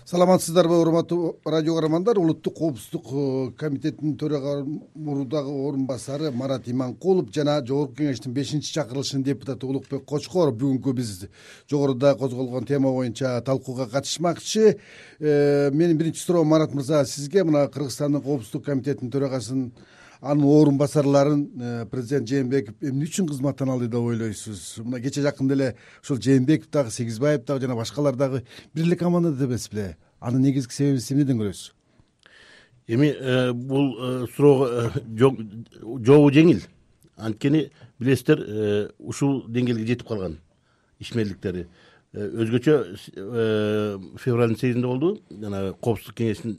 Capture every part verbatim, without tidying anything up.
Саламатсыздарбы, урматтуу радио көрөрмандар. Улуттук коопсуздук комитетинин төрага мурдагы орун басары Марат Иманкулов жана Жогорку кеңештин бешинчи чакырылышынын депутаты Улукбек Кочкоров бүгүнкү биз жогоруда козголгон тема боюнча талкууга катышмакчы. Менин биринчи суроом, Марат мырза, сизге мына Кыргызстандын коопсуздук комитетинин төрагасынын анын орун басарларын президент Жээнбеков эмне үчүн кызматтан алды деп ойлойсуз? Мына кече жакында эле ушул Жээнбеков дагы, Сегизбаев дагы жана башкалар дагы бир эле командада эмес беле? Анын негизги себебин эмнеден көрөсүз? Эми бул суроого жообу жеңил. Анткени билесиздер, ушул деңгээлге жетип калган ишмерликтери. Өзгөчө февралдын сегизинде болду, жана коопсуздук кеңешинин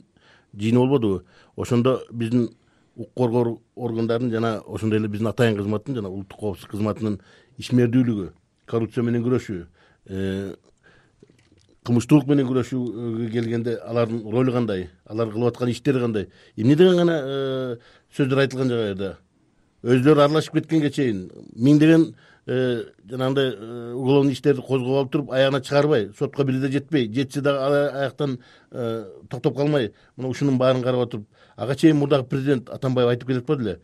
жыйыны болбодубу? Ошондо биздин укук коргоо органдарынын жана ошондой эле биздин атайын кызматтын жана улуттук коопсуздук кызматынын ишмердүүлүгү, коррупция менен күрөшүү, кылмыштуулук менен күрөшүүгө келгенде алардын ролу кандай, алар кылып аткан иштери кандай, эмне деген гана сөздөр айтылган жагайда өзүлөрү аралашып кеткенге чейин миңдеген жанагындай уголовный иштерди козгоп алып туруп аягына чыгарбай, сотко бир да жетпей, жетсе дагы аяктан токтоп калмай, мына ушунун баарын карап отуруп, ага чейин мурдагы президент Атамбаев айтып келатпады эле,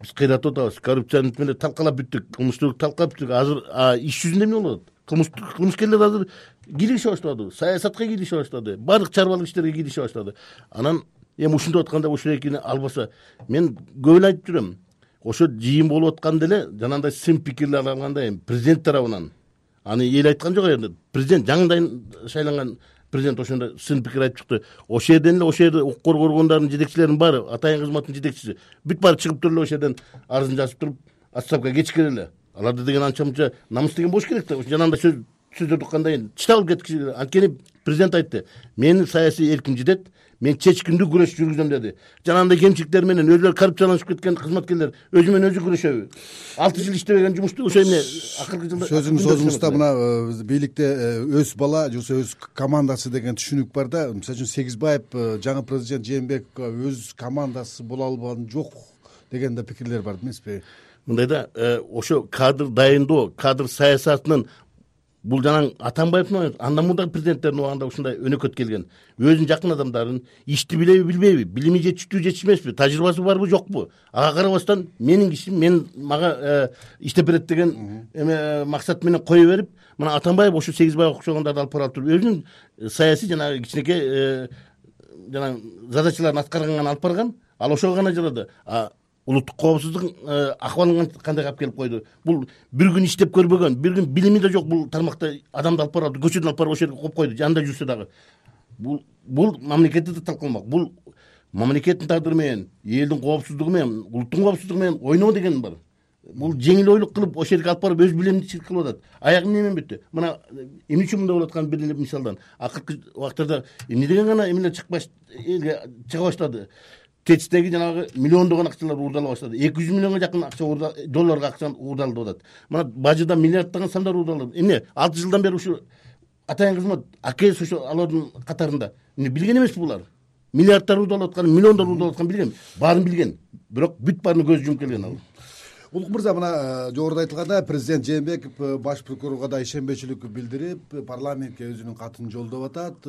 биз кыйратып атабыз, коррупцияны менен талкалап бүттүк, кылмыштуулукту талкалап бүттүк. Азыр иш жүзүндө эмне болуп атат? Кылмышкерлер азыр кийлигише баштады, саясатка кийлигише баштады, баардык чарбалык иштерге кийлигише баштады. Анан эми ушинтип атканда ушул экини албаса, мен көп эле айтып жүрөм, ошо жыйын болуп атканда эле жанагындай сын пикирлер алганда эми президент тарабынан, аны эл айткан жок эми, президент жаңыдан шайланган президент ошондо сын пикир айтып чыкты. Ошол жерден эле ошол жерде укук коргоо органдарынын жетекчилеринин баары, атайын кызматтын жетекчиси бүт баары чыгып туруп эле ошол жерден арызын жазып туруп, отставкага кетишкен эле. Аларды деген анча мынча намыс деген болуш керек да. Жанагындай сөз сөздөр уккандан кийин чыдап алып кеткиш. Анткени президент айтты, менин саясий эрким жетет, мен чечкиндүү күрөш жүргүзөм деди. Жанагындай кемчиликтер менен өзүлөрү коррупцияланышып кеткен кызматкерлер өзү менен өзү күрөшөбү? алты жыл иштебеген жумушту ошо эмне акыркы жылда сөзүңүз созуңузда мына бийликте өз бала же өз командасы деген түшүнүк бар да. Мисалы үчүн Сегизбаев жаңы президент Жээнбековго өз командасы боло албаган жок деген да пикирлер бар эмеспи? Мындай да, ошо кадр дайындоо, кадр саясатынын бул жанаң Атамбаевдин, андан мурдагы президенттердин убагында ушундай өнөкөт келген. Өзүнүн жакын адамдарын ишти билеби, билбейби, билими жетиштүү, жетишмеспи, тажрыйбасы барбы, жокпу? Ага карабастан менин кишим, мен мага иштеп берет деген эме максат менен кое берип, мына Атамбаев ошо Сегизбаев окшогондорду алып барып туруп, өзүнүн саясий жанагы кичинекей жанагы задачаларын аткарганга алып барган, ал ошого гана жарады. Улуттук коопсуздук акыбалын кандай кылып келип койду? Бул бир күн иштеп көрбөгөн, бир күн билими да жок бул тармакта адамды алып барып, көчөдөн алып барып ошол жерге коюп койду, жанында жүрсө дагы. Бул бул мамлекетти да талкаламак. Бул мамлекеттин тагдыры менен, элдин коопсуздугу менен, улуттун коопсуздугу менен ойноо деген бар. Бул жеңил ойлук кылып ошол жерге алып барып өз билимдичилик кылып атат. Аягы эмне менен бүттү? Мына эмне үчүн мындай болуп аткан бир эле мисалдан. Акыркы убактарда эмне деген гана эмелер чыкпаш элге чыга баштады. Течтеги жанагы миллиондогон акчалар уурдала баштады. эки жүз миллионго жакын акча долларга акча уурдалып атат. Мына бажыда миллиарддаган сандар уурдалып. Эмне? алты жылдан бери ушу атайын кызмат АКС ошо алардын катарында. Эмне билген эмеспи булар? Миллиарддар уурдалып аткан, миллиондор уурдалып аткан билген. Баарын билген. Бирок бүт баарына көз жумуп келген ал. Улук мырза, мына жогоруда айтылгандай, президент Жээнбеков баш прокурорго да ишенбечилик билдирип, парламентке өзүнүн катын жолдоп атат.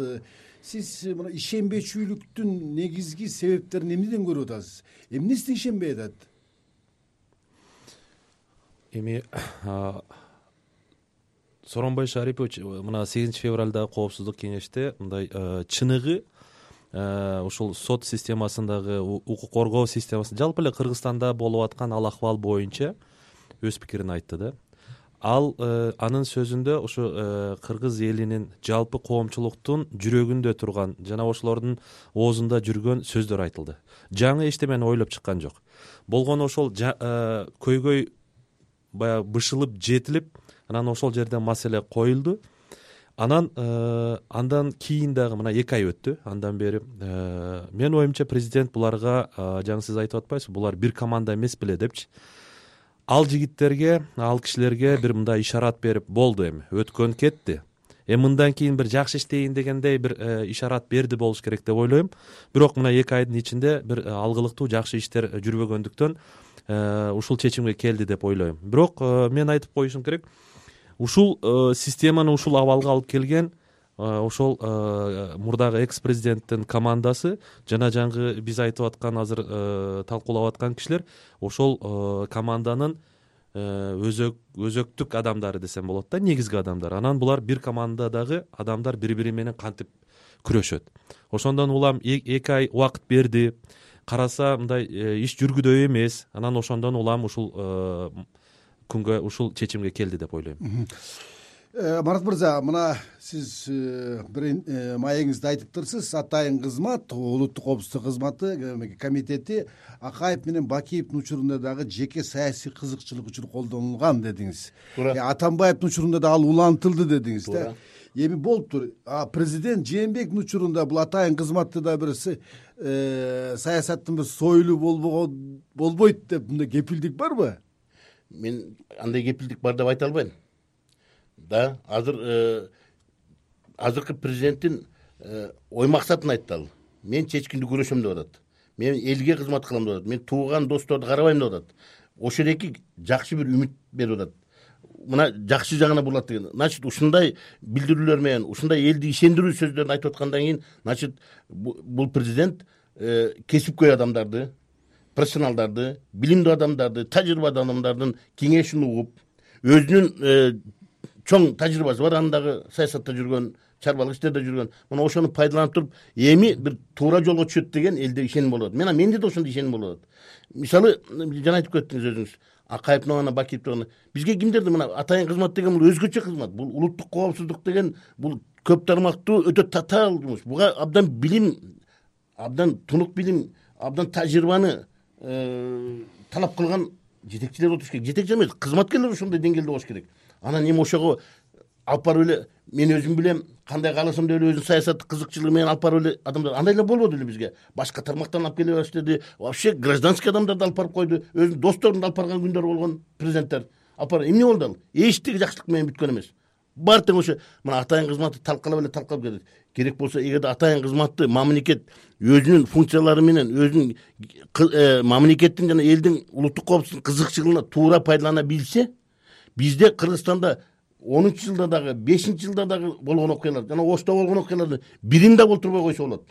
Сиз мына ишенбечүүлүктүн негизги себептерин эмнеден көрүп атасыз? Эмнесине ишенбей атат? Эми Сооронбай Шарипович мына сегизинчи февралда коопсуздук кеңеште мындай чыныгы ушул сот системасындагы, укук коргоо системасында, жалпы эле Кыргызстанда болуп аткан ал акыбал боюнча өз пикирин айтты да. Ал анын сөзүндө ушу кыргыз элинин, жалпы коомчулуктун жүрөгүндө турган жана ошолордун оозунда жүргөн сөздөр айтылды. Жаңы эчтемени ойлоп чыккан жок. Болгону ошол көйгөй баягы бышылып, жетилип, анан ошол жерден маселе коюлду. Анан андан кийин дагы мына эки ай өттү. Андан бери менин оюмча президент буларга, жаңы сиз айтып атпайсызбы, булар бир команда эмес беле депчи. Ал жигиттерге, ал кишилерге бир мындай ишарат берип, болду эми, өткөн кетти. Эми мындан кийин бир жакшы иштейин дегендей бир ишарат берди болуш керек деп ойлойм. Бирок мына эки айдын ичинде бир алгылыктуу жакшы иштер жүрбөгөндүктөн ушул чечимге келди деп ойлойм. Бирок мен айтып коюшум керек, ушул системаны ушул абалга алып келген ошол мурдагы экс президенттин командасы жана жаңы биз айтып аткан азыр талкуулап аткан кишилер ошол команданын өзөк өзөктүк адамдары десем болот да, негизги адамдар. Анан булар бир командадагы адамдар бири бири менен кантип күрөшөт. Ошондон улам эки ай убакыт берди, караса мындай иш жүргүдөй эмес. Анан ошондон улам ушул күнгө ушул чечимге келди деп ойлойм. Марат мырза, мына сиз бир маегиңизде айтыптырсыз, атайын кызмат, улуттук коопсуздук кызматы комитети Акаев менен Бакиевдин учурунда дагы жеке саясий кызыкчылык үчүн колдонулган дедиңиз. Атамбаевдин учурунда да ал улантылды дедиңиз да. Эми болуптур. Президент Жээнбековдин учурунда бул атайын кызматты да бир саясаттын бир союлу болбогон болбойт деп мындай кепилдик барбы? Мен андай кепилдик бар деп айта албайм. Да, азыр азыркы президенттин ой максатын айтты ал. Мен чечкиндүү күрөшөм деп атат. Мен элге кызмат кылам деп атат. Мен тууган досторду карабайм деп атат. Ошол эки жакшы бир үмүт берип атат. Мына жакшы жагына бурулат деген. Значит, ушундай билдирүүлөр менен, ушундай элди ишендирүү сөздөрүн айтып аткандан кийин, значит, бул президент кесипкөй адамдарды, профессионалдарды, билимдүү адамдарды, тажрыйбалуу адамдардын кеңешин угуп, өзүнүн чоң тажрыйбасы бар, андагы саясатта жүргөн, чарбалык иштерде жүргөн. Мына ошону пайдаланып туруп, эми бир туура жолго түшөт деген элде ишеним болот. Мен менде да ошондой ишеним болот. Мисалы, жана айтып кеттиңиз өзүңүз, Акаевдин гана, Бакиевдин гана. Бизге кимдерди мына атайын кызмат деген бул өзгөчө кызмат. Бул улуттук коопсуздук деген бул көп тармактуу өтө татаал жумуш. Буга абдан билим, абдан тунук билим, абдан тажрыйбаны талап кылган жетекчилер отуруш керек. Жетекчи эмес, кызматкерлер ошондой деңгээлде болуш керек. Анан эми ошого алып барып эле мен өзүм билем, кандай кааласам деп эле өзүнүн саясаттык кызыкчылыгы менен алып барып эле адамдар андай эле болбоду эле бизге. Башка тармактан алып келе баштады. Вообще гражданский адамдарды алып барып койду. Өзүнүн досторун алып барган күндөр болгон президенттер. Алып барып эмне болду ал? Эчтеге жакшылык менен бүткөн эмес. Бар тең ошо мына атайын кызматты талкалап эле талкалап келет. Керек болсо эгерде атайын кызматты мамлекет өзүнүн функциялары менен, өзүнүн мамлекеттин жана элдин улуттук коопсуздук кызыкчылыгына туура пайдалана билсе, бизде Кыргызстанда онунчу жылда дагы, бешинчи жылда дагы болгон окуялар, жана Ошто болгон окуяларды бирин да болтурбой койсо болот.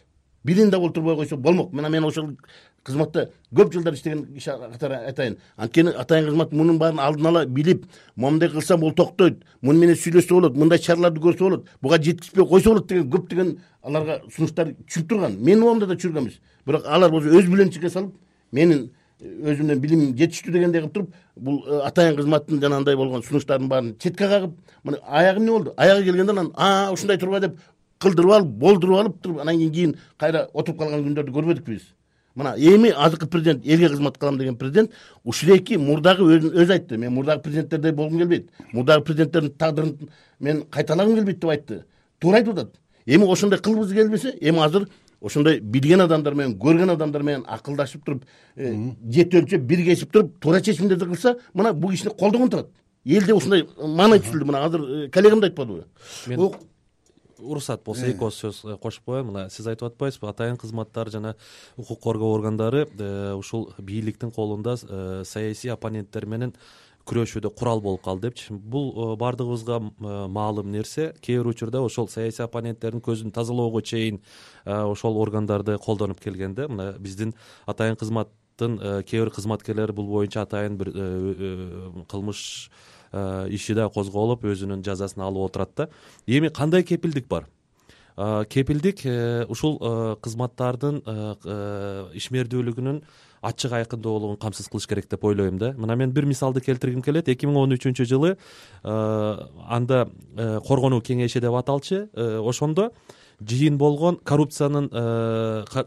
Бирин да болтурбой койсо болмок. Мына мен ошол кызматта көп жылдар иштеген иш катары айтайын. Анткени атайын кызмат мунун баарын алдын ала билип, момундай кылсам бул токтойт, муну менен сүйлөшсө болот, мындай чараларды көрсө болот, буга жеткизбей койсо болот деген көп деген аларга сунуштар түшүп турган. Менин оомда да чүргөн эмес. Бирок алар болсо өз билимчиликке салып, менин өзүмдөн билим жетиштүү дегендей кылып туруп, бул атайын кызматтын жанагындай болгон сунуштардын баарын четке кагып, мына аягы эмне болду? Аягы келгенде анан а ушундай турба деп кылдырып алып, болдуруп алып туруп, анан кийин кайра отуруп калган күндөрдү көрбөдүкпү биз. Мына эми азыркы президент, элге кызмат кылам деген президент ушул эки мурдагы өзү айтты. Мен мурдагы президенттердей болгум келбейт. Мурдагы президенттердин тагдырын мен кайталагым келбейт деп айтты. Туура айтып атат. Эми ошондой кылгыбыз келбесе, эми азыр ошондой билген адамдар менен, көргөн адамдар менен акылдашып туруп, жет өлчөп, биргешип туруп, туура чечимдерди кылса, мына бул кишини колдогон турат. Элде ушундай маанай түзүлдү. Мына азыр коллегам да айтпадыбы? Мен уруксат болсо эки ооз сөз кошуп коеюн. Мына сиз айтып атпайсызбы, атайын кызматтар жана укук коргоо органдары ушул бийликтин колунда саясий оппоненттер менен күрөшүүдө курал болуп калды депчи. Бул бардыгыбызга маалым нерсе. Кээ бир учурда ошол саясий оппоненттердин көзүн тазалоого чейин ошол органдарды колдонуп келгенде, мына биздин атайын кызматтын кээ бир кызматкерлери бул боюнча атайын бир кылмыш иши да козголуп, өзүнүн жазасын алып отурат да. Эми кандай кепилдик бар? Кепилдик ушул кызматтардын ишмердүүлүгүнүн ачык айкындуулугун камсыз кылыш керек деп ойлойм да. Мына мен бир мисалды келтиргим келет. эки миң он үчүнчү жылы анда коргонуу кеңеши деп аталчы, ошондо жыйын болгон коррупциянын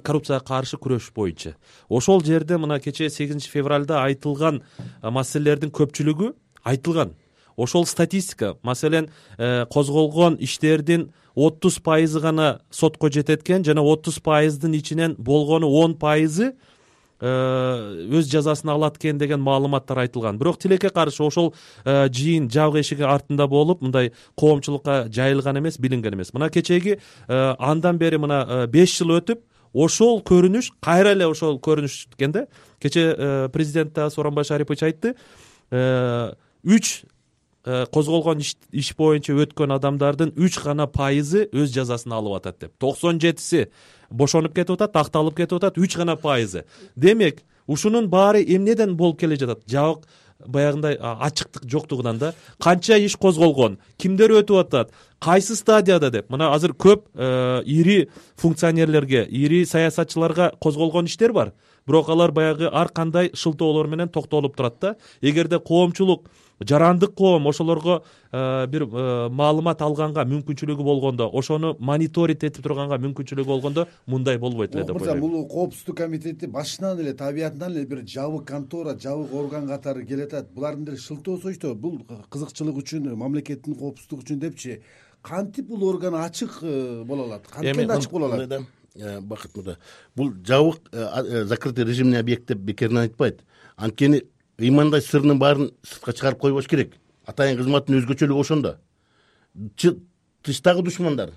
коррупцияга каршы күрөш боюнча. Ошол жерде мына кечээ сегизинчи февралда айтылган маселелердин көпчүлүгү айтылган. Ошол статистика, маселен, козголгон иштердин отуз пайызы гана сотко жетет экен, жана отуз пайыздын ичинен болгону он пайызы өз жазасын алат экен деген маалыматтар айтылган. Бирок тилекке каршы ошол жыйын жабык эшиги артында болуп, мындай коомчулукка жайылган эмес, билинген эмес. Мына кечеги андан бери мына беш жыл өтүп, ошол көрүнүш кайра эле ошол көрүнүш экен да. Кече президент Сооронбай Шарипович айтты, үч козголгон иш боюнча өткөн адамдардын үч гана пайызы өз жазасын алып атат деп, токсон жетиси бошонуп кетип атат, акталып кетип атат, үч гана пайызы. Демек ушунун баары эмнеден болуп келе жатат? Жабык баягындай ачыктык жоктугунан да. Канча иш козголгон, кимдер өтүп атат, кайсы стадияда деп. Мына азыр көп ири функционерлерге, ири саясатчыларга козголгон иштер бар. Бирок алар баягы ар кандай шылтоолор менен токтолуп турат да. Эгерде коомчулук, жарандык коом ошолорго бир маалымат алганга мүмкүнчүлүгү болгондо, ошону мониторинг этип турганга мүмкүнчүлүгү болгондо мындай болбойт эле деп ойлойм. Бул коопсуздук комитети башынан эле табиятынан эле бир жабык контора, жабык орган катары келатат. Булардын деле шылтоосойчу, бул кызыкчылык үчүн, мамлекеттин коопсуздугу үчүн депчи. Кантип бул орган ачык боло алат? Кантип ачык боло алат? Бакыт мырза, бул жабык закрытый режимный объект деп бекерден айтпайт. Анткени ыймандай сырынын баарын сыртка чыгарып койбош керек. Атайын кызматтын өзгөчөлүгү ошондо. Тыштагы душмандар,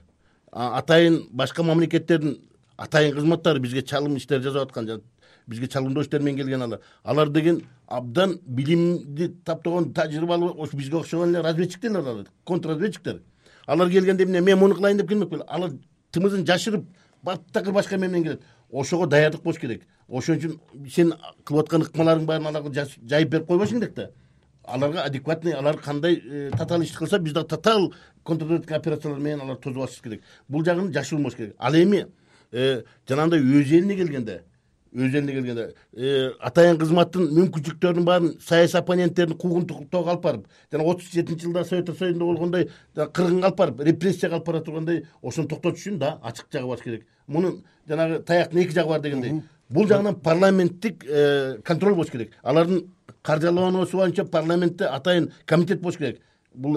атайын башка мамлекеттердин атайын кызматтары бизге чалым иштер жасап аткан, бизге чалымдоо иштер менен келген алар. Алар деген абдан билимди таптаган, тажрыйбалуу, ошо бизге окшогон эле разведчиктер алар, контрразведчиктер. Алар келгенде эмне, мен муну кылайын деп келмек беле. Алар тымызын жашырып, баттакыр башка эме менен келет. Ошого даярдык болуш керек. Ошон үчүн сен кылып аткан ыкмаларың баарын аларга жайып берип койбошуң керек да. Аларга адекватный, алар кандай татаал иш кылса, биз да татаал контрразведка операциялар менен алар тосуп алышыбыз керек. Бул жагын жашырылмаш керек. Ал эми жанагындай өз элине келгенде, өз элине келгенде атайын кызматтын мүмкүнчүлүктөрүнүн баарын саясий оппоненттердин куугунтуктоого алып барып, жана отуз жетинчи жылда Советтер Союзунда болгондой кыргынга алып барып, репрессияга алып бара тургандай, ошону токтотуш үчүн да ачык жагы бар керек. Мунун жанагы таяктын эки жагы бар дегендей. Бул жагынан парламенттик контроль болуш керек. Алардын каржылануусу боюнча парламентте атайын комитет болуш керек. Бул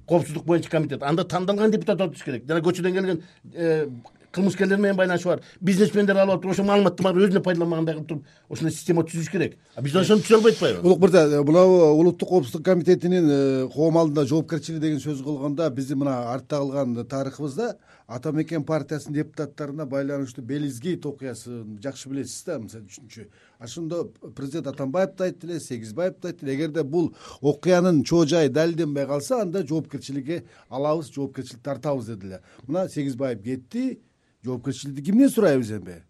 коопсуздук боюнча комитет. Анда тандалган депутат отуш керек. Жана көчөдөн келген кылмышкерлер менен байланышы бар, бизнесмендер алып атып, ошо маалыматты баары өзүнө пайдаланмагандай кылып туруп, ошондой система түзүш керек. А биз ошону түзө албай атпайбы? Улук мырза, мына улуттук коопсуздук комитетинин коом алдында жоопкерчилиги деген сөз кылганда, биздин мына артта калган тарыхыбызда Ата Мекен партиясынын депутаттарына байланыштуу Белизгейт окуясын жакшы билесиз да, мисалы үчүнчү. Ошондо президент Атамбаев да айтты эле, Сегизбаев да айтты эле, эгерде бул окуянын чоо жайы далилденбей калса, анда жоопкерчиликке алабыз, жоопкерчилик тартабыз дедилер. Мына Сегизбаев кетти, жоопкерчиликти кимден сурайбыз эми?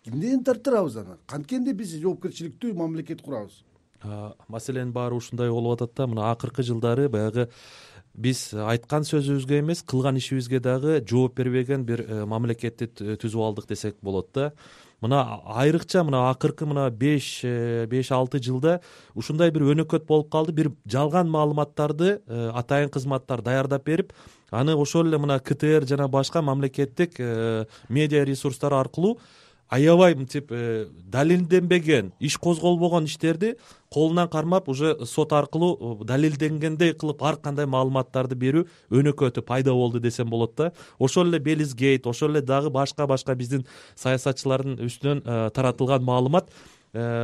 Кимден тартырабыз аны? Канткенде биз жоопкерчиликтүү мамлекет курабыз? Маселенин баары ушундай болуп атат да, мына акыркы жылдары баягы биз айткан сөзүбүзгө эмес, кылган ишибизге дагы жооп бербеген бир мамлекетти түзүп алдык десек болот да. Мына айрыкча мына акыркы мына беш алты жылда ушундай бир өнөкөт болуп калды. Бир жалган маалыматтарды атайын кызматтар даярдап берип, аны ошол эле мына КТР жана башка мамлекеттик медиа ресурстар аркылуу аябай мынтип далилденбеген, иш козголбогон иштерди колунан кармап, уже сот аркылуу далилденгендей кылып ар кандай маалыматтарды берүү өнөкөтү пайда болду десем болот да. Ошол эле Белизгейт, ошол эле дагы башка-башка биздин саясатчылардын үстүнөн таратылган маалымат,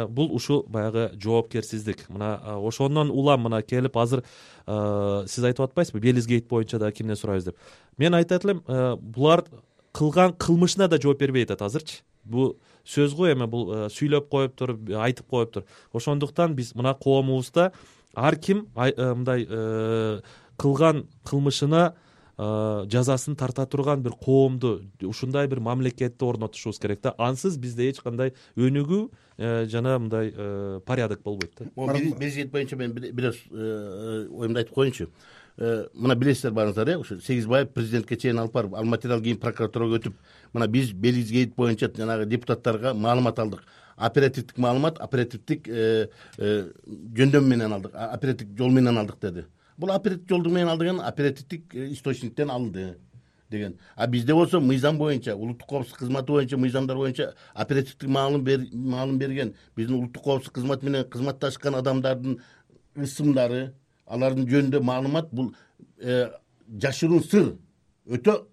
бул ушул баягы жоопкерсиздик. Мына ошондон улам мына келип азыр сиз айтып атпайсызбы, Белизгейт боюнча да кимден сурайбыз деп. Мен айтат элем, булар кылган кылмышына да жооп бербей атат азырчы. Бул сөз го эми, бул сүйлөп коюптур, айтып коюптур. Ошондуктан биз мына коомубузда ар ким мындай кылган кылмышына жазасын тарта турган бир коомду, ушундай бир мамлекетти орнотушубуз керек да. Ансыз бизде эч кандай өнүгүү жана мындай порядок болбойт да. Белизгейт боюнча мен бир оюмду айтып коеюнчу. Мына билесиздер баарыңыздар, э, ушу Сегизбаев президентке чейин алып барып, ал материал кийин прокуратурага өтүп, мына биз Белизгейт боюнча жанагы депутаттарга маалымат алдык. Оперативдик маалымат, оперативдик жөндөм менен алдык, оперативдик жол менен алдык деди. Бул оперативдик жолдун менен алдыган оперативдик источниктен алынды деген. А бизде болсо мыйзам боюнча, улуттук коопсуздук кызматы боюнча, мыйзамдар боюнча оперативдик маалым маалым берген, биздин улуттук коопсуздук кызматы менен кызматташкан адамдардын ысымдары, алардын жөнүндө маалымат, бул жашыруун сыр, өтө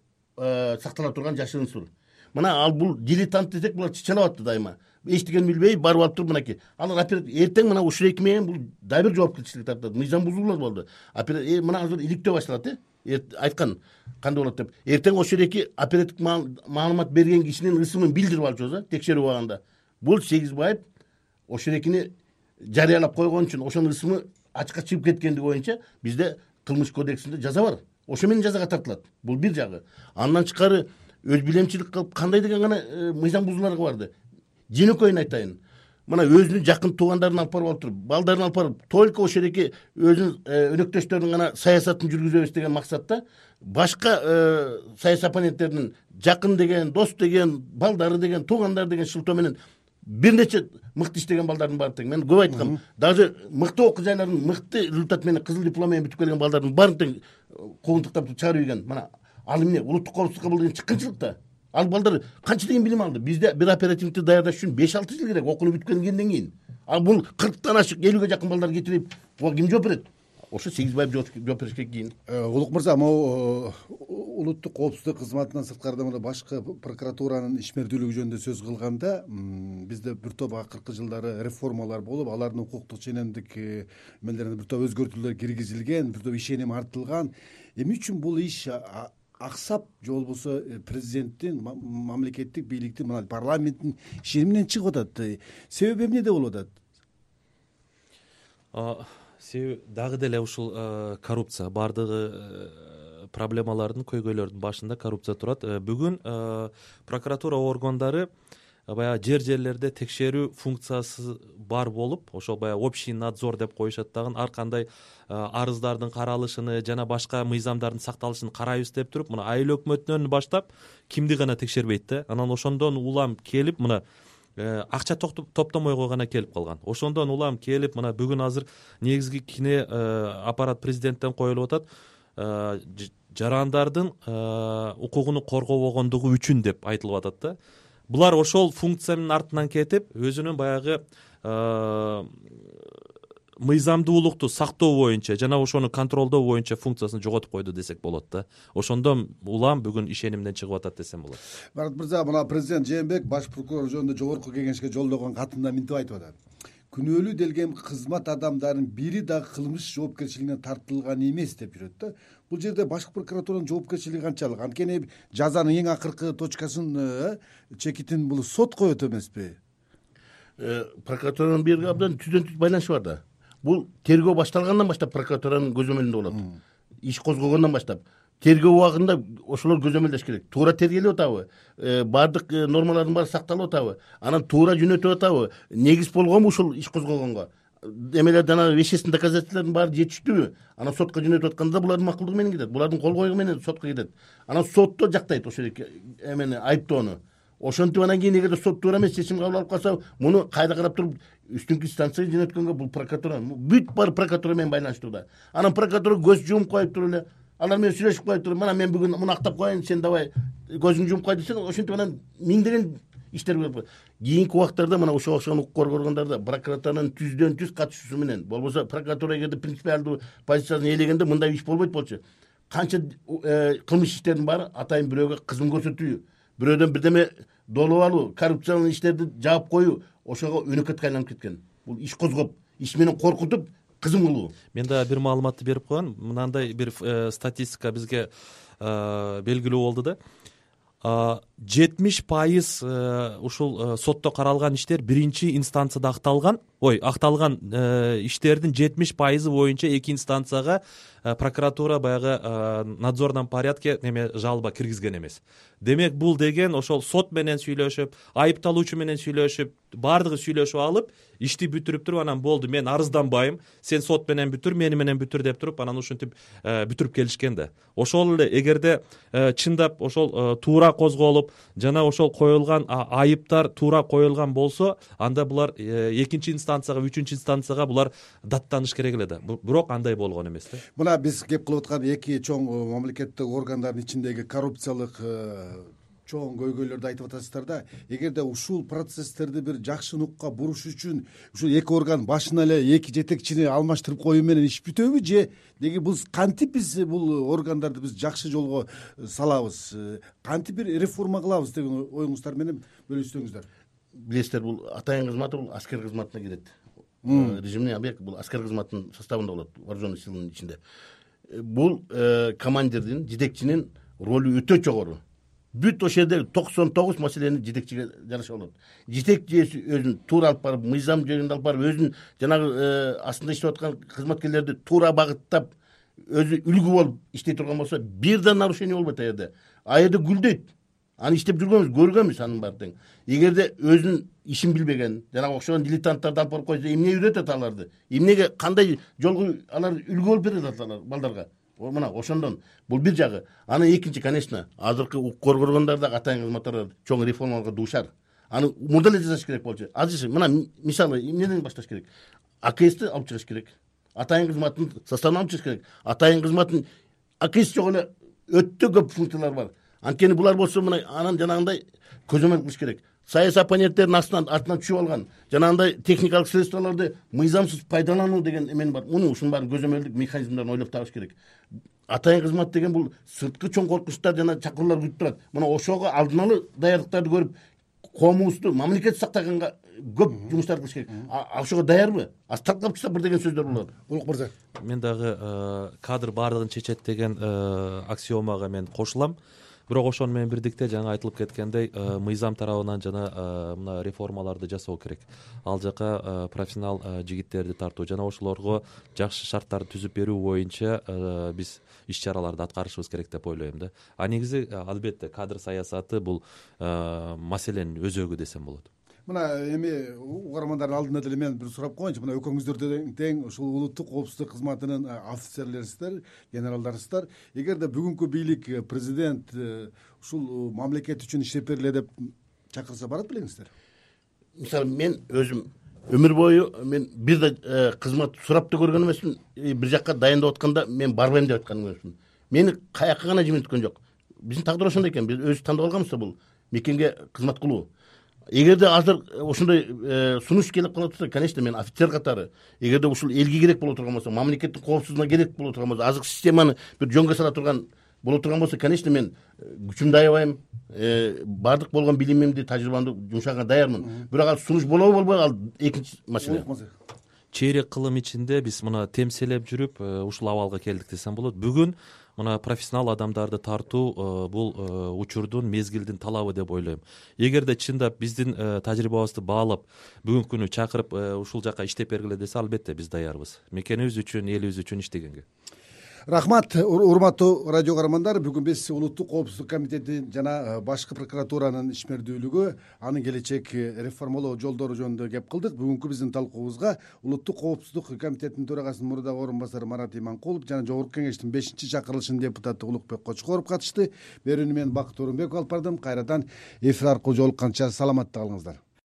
сактала турган жашыруун сыр. Мына ал бул дилетант десек, булар чычалап атты дайыма. Эчтеген билбей барып алып туруп, мынакей. Алар эртең мына ушул эки менен бул дагы бир жоопкерчилик тартат. Мыйзам бузуулар болду. Мына азыр иликтөө башталат, э? Айткан кандай болот деп. Эртең ошол эки оперативдик маалымат берген кишинин ысымын билдирип алчубуз, текшерип алганда. Бул Сегизбаев ошол экини жарыялап койгон үчүн, ошонун ысымы ачыкка чыгып кеткендиги боюнча бизде кылмыш кодексинде жаза бар, ошо менен жазага тартылат. Бул бир жагы. Андан тышкары өз билемчилик кылып кандай деген гана мыйзам бузууларга барды. Жөнөкөйүн айтайын. Мына өзүнүн жакын туугандарын алып барып алып туруп, балдарын алып барып, только ошол эки өзүнүн өнөктөштөрүнүн гана саясатын жүргүзөбүз деген максатта башка саясий оппоненттердин жакын деген, дос деген, балдары деген, туугандары деген шылтоо менен бир нече мыкты иштеген балдардын баары тең. Мен көп айткам, даже мыкты окуу жайлардын мыкты результат менен кызыл диплом менен бүтүп келген балдардын баарын тең куугунтуктап чыгарып ийген. Мына ал эмне улуттук коопсуздукка бул деген чыккынчылык да. Ал балдар канча деген билим алды? Бизде бир оперативникти даярдаш үчүн беш алты жыл керек, окууну бүткөндөн кийин. Ал бул кырктан ашык, элүүгө жакын балдар кетирип, буга ким жооп берет? Ошо сегиз байып жооп беришке кийин. Улук мырза, могу улуттук коопсуздук кызматынан сырткарыда мына башкы прокуратуранын ишмердүүлүгү жөнүндө сөз кылганда, бизде бир топ акыркы жылдары реформалар болуп, алардын укуктук ченемдик эмелерине бир топ өзгөртүүлөр киргизилген, бир топ ишеним артылган. Эмне үчүн бул иш аксап, же болбосо президенттин, мамлекеттик бийликтин, мына парламенттин ишениминен чыгып атат? Себеби эмнеде болуп атат? Себеби дагы деле ушул коррупция, баардыгы проблемалардын, көйгөйлөрдүн башында коррупция турат. Бүгүн прокуратура органдары баягы жер жерлерде текшерүү функциясы бар болуп, ошол баягы общий надзор деп коюшат дагы, ар кандай арыздардын каралышын жана башка мыйзамдардын сакталышын карайбыз деп туруп, мына айыл өкмөтүнөн баштап кимди гана текшербейт да. Анан ошондон улам келип, мына акча топтомойго гана келип калган. Ошондон улам келип, мына бүгүн азыр негизги кине аппарат президенттен коюлуп атат, жарандардын укугуну коргобогондугу үчүн деп айтылып атат да. Булар ошол функциянын артынан кетип, өзүнүн баягы мыйзамдуулукту сактоо боюнча жана ошону контролдоо боюнча функциясын жоготуп койду десек болот да. Ошондон улам бүгүн ишенимден чыгып атат десем болот. Марат мырза, мына президент Жээнбеков баш прокурор жөнүндө жогорку кеңешке жолдогон катында мынтип айтып атат: күнөөлүү делген кызмат адамдарынын бири дагы кылмыш жоопкерчилигине тартылган эмес деп жүрөт да. Бул жерде башкы прокуратуранын жоопкерчилиги канчалык? Анткени жазанын эң акыркы точкасын, чекитин бул сот коет эмеспи? Прокуратуранын берги абдан түздөн түз байланышы бар да. Бул тергөө башталгандан баштап прокуратуранын көзөмөлүндө болот. Иш козгогондон баштап тергөө убагында ошолор көзөмөлдөш керек. Туура тергелип атабы? Баардык нормалардын баары сакталып атабы? Анан туура жөнөтүп атабы? Негиз болгонбу ушул иш козгогонго? Эмелер жана вещественный доказательстволордун баары жетиштүүбү? Анан сотко жөнөтүп атканда булардын макулдугу менен кетет. Булардын кол коюу менен сотко кетет. Анан сотто жактайт ошол эмени, айыптоону. Ошентип анан кийин эгерде сот туура эмес чечим кабыл алып калса, муну кайда карап туруп үстүнкү инстанцияга жөнөткөнгө бул прокуратура, бүт баары прокуратура менен байланыштуу да. Анан прокуратура көз жумуп коюп туруп эле, алар менен сүйлөшүп коюп туруп, мына мен бүгүн муну актап коеюн, сен давай көзүңдү жумуп кой десең, ошентип анан миңдеген иштер болот. Кийинки убактарда мына ошого окшогон укук коргоо органдарда прокуратуранын түздөн түз катышуусу менен, болбосо прокуратура эгерде принципиалдуу позициясын ээлегенде мындай иш болбойт болчу. Канча кылмыш иштердин баары атайын бирөөгө кызым көрсөтүү, бирөөдөн бирдеме долуп алуу, коррупциялык иштерди жаап коюу ошого өнөкөткө айланып кеткен. Бул иш козгоп, иш менен коркутуп, кызым кылуу. Мен да бир маалыматты берип коеюн. Мынандай бир статистика бизге белгилүү болду да. жетимиш пайыз ушул сотто каралган иштер биринчи инстанцияда акталган. Ой, акталган иштердин жетимиш пайызы боюнча эки инстанцияга прокуратура баягы надзорном порядке неме жалоба киргизген эмес. Демек бул деген ошол сот менен сүйлөшүп, айыпталуучу менен сүйлөшүп, баардыгы сүйлөшүп алып, ишти бүтүрүп туруп, анан болду, мен арызданбайм, сен сот менен бүтүр, мени менен бүтүр деп туруп, анан ушинтип бүтүрүп келишкен да. Ошол эле эгерде чындап ошол туура козголуп, жана ошол коюлган айыптар туура коюлган болсо, анда булар экинчи инстанцияга, үчүнчү инстанцияга булар даттаныш керек эле да. Бирок андай болгон эмес да. Мына биз кеп кылып аткан эки чоң мамлекеттик органдардын ичиндеги коррупциялык чоң көйгөйлөрдү айтып атасыздар да. Эгерде ушул процесстерди бир жакшы нукка буруш үчүн ушул эки орган башына эле эки жетекчини алмаштырып коюу менен иш бүтөбү, же деги бул кантип биз бул органдарды биз жакшы жолго салабыз, кантип бир реформа кылабыз деген оюңуздар менен бөлүшсөңүздөр. Билесиздер, бул атайын кызматы бул аскер кызматына кирет. Режимный объект бул аскер кызматынын составында болот, вооруженный силанын ичинде. Бул командирдин, жетекчинин ролу өтө жогору. Бүт ошол жерде токсон тогуз маселени жетекчиге жараша болот. Жетекчи өзүн туура алып барып, мыйзам жөнүндө алып барып, өзүн жанагы астында иштеп аткан кызматкерлерди туура багыттап, өзү үлгү болуп иштей турган болсо бир да нарушение болбойт. А жерде а жерде гүлдөйт. Аны иштеп жүргөнбүз, көргөнбүз анын баарын тең. Эгерде өзүнүн ишин билбеген, жанагы окшогон дилетанттарды алып барып койсо, эмне үйрөтөт аларды? Эмнеге кандай жолго алар үлгү болуп берет алар балдарга? Мына ошондон бул бир жагы. Анан экинчи, конечно, азыркы укук коргогондар да атайын кызматтар чоң реформаларга дуушар. Аны мурда эле жасаш керек болчу. Азыр мына мисалы эмнеден башташ керек? А К С'ти алып чыгыш керек. Атайын кызматтын составын алып чыгыш керек. Атайын кызматтын А К С жок эле өтө көп функциялар бар. Анткени булар болсо мына анан жанагындай көзөмөл кылыш керек. Саясий оппоненттердин астынан артынан түшүп алган жанагындай техникалык средстволорду мыйзамсыз пайдалануу деген эмен бар. Муну ушунун баарын көзөмөлдүк механизмдерин ойлоп табыш керек. Атайын кызмат деген бул сырткы чоң коркунучтар жана чакыруулар күтүп турат. Мына ошого алдын ала даярдыктарды көрүп, коомубузду мамлекет сактаганга көп жумуштар кылыш керек. Ошого даярбы? Аз тарткап чыкса бир деген сөздөр болот. Улук мырза, мен дагы кадр баардыгын чечет деген аксиомага мен кошулам. Бирок ошону менен бирдикте жаңа айтылып кеткендей, мыйзам тарабынан жана мына реформаларды жасоо керек. Ал жака профессионал жигиттерди тартуу жана ошолорго жакшы шарттарды түзүп берүү боюнча биз иш чараларды аткарышыбыз керек деп ойлойм да. А негизи албетте кадр саясаты бул маселенин өзөгү десем болот. Мына эми угармандардын алдында деле мен бир сурап коеюнчу. Мына экөөңүздөр тең ушул улуттук коопсуздук кызматынын офицерлерисиздер, генералдарысыздар. Эгерде бүгүнкү бийлик, президент ушул мамлекет үчүн иштеп бергиле деп чакырса барат белеңиздер? Мисалы мен өзүм өмүр бою мен бир да кызмат сурап да көргөн эмесмин. Бир жакка дайындап атканда мен барбайм деп айткан эмесмин. Мени каяка гана жибирткөн жок. Биздин тагдыр ошондой экен. Биз өзүбүз тандап алганбыз да бул мекенге кызмат кылуу. Эгерде азыр ошондой сунуш келип кала турса, конечно, мен офицер катары, эгерде ушул элге керек боло турган болсо, мамлекеттин коопсуздугуна керек боло турган болсо, азыркы системаны бир жөнгө сала турган боло турган болсо, конечно, мен күчүмдү аябайм, баардык болгон билимимди, тажрыйбамды жумшаганга даярмын. Бирок ал сунуш болобу болбойбу, ал экинчи маселе. Чейрек кылым ичинде биз мына темселеп жүрүп ушул абалга келдик десем болот. Бүгүн мына профессионал адамдарды тартуу бул учурдун, мезгилдин талабы деп ойлойм. Эгерде чындап биздин тажрыйбабызды баалап бүгүнкү күнү чакырып ушул жака иштеп бергиле десе, албетте биз даярбыз мекенибиз үчүн, элибиз үчүн иштегенге. Рахмат, урматтуу радио каармандар. Бүгүн биз улуттук коопсуздук комитети жана башкы прокуратуранын ишмердүүлүгү, анын келечек реформалоо жолдору жөнүндө кеп кылдык. Бүгүнкү биздин талкуубузга улуттук коопсуздук комитетинин төрагасынын мурдагы орун басары Марат Иманкулов жана Жогорку Кеңештин бешинчи чакырылышынын депутаты Улукбек Кочкоров катышты. Берүүнү мен Бакыт Орунбеков алып бардым. Кайрадан эфир аркылуу жолукканча саламатта калыңыздар.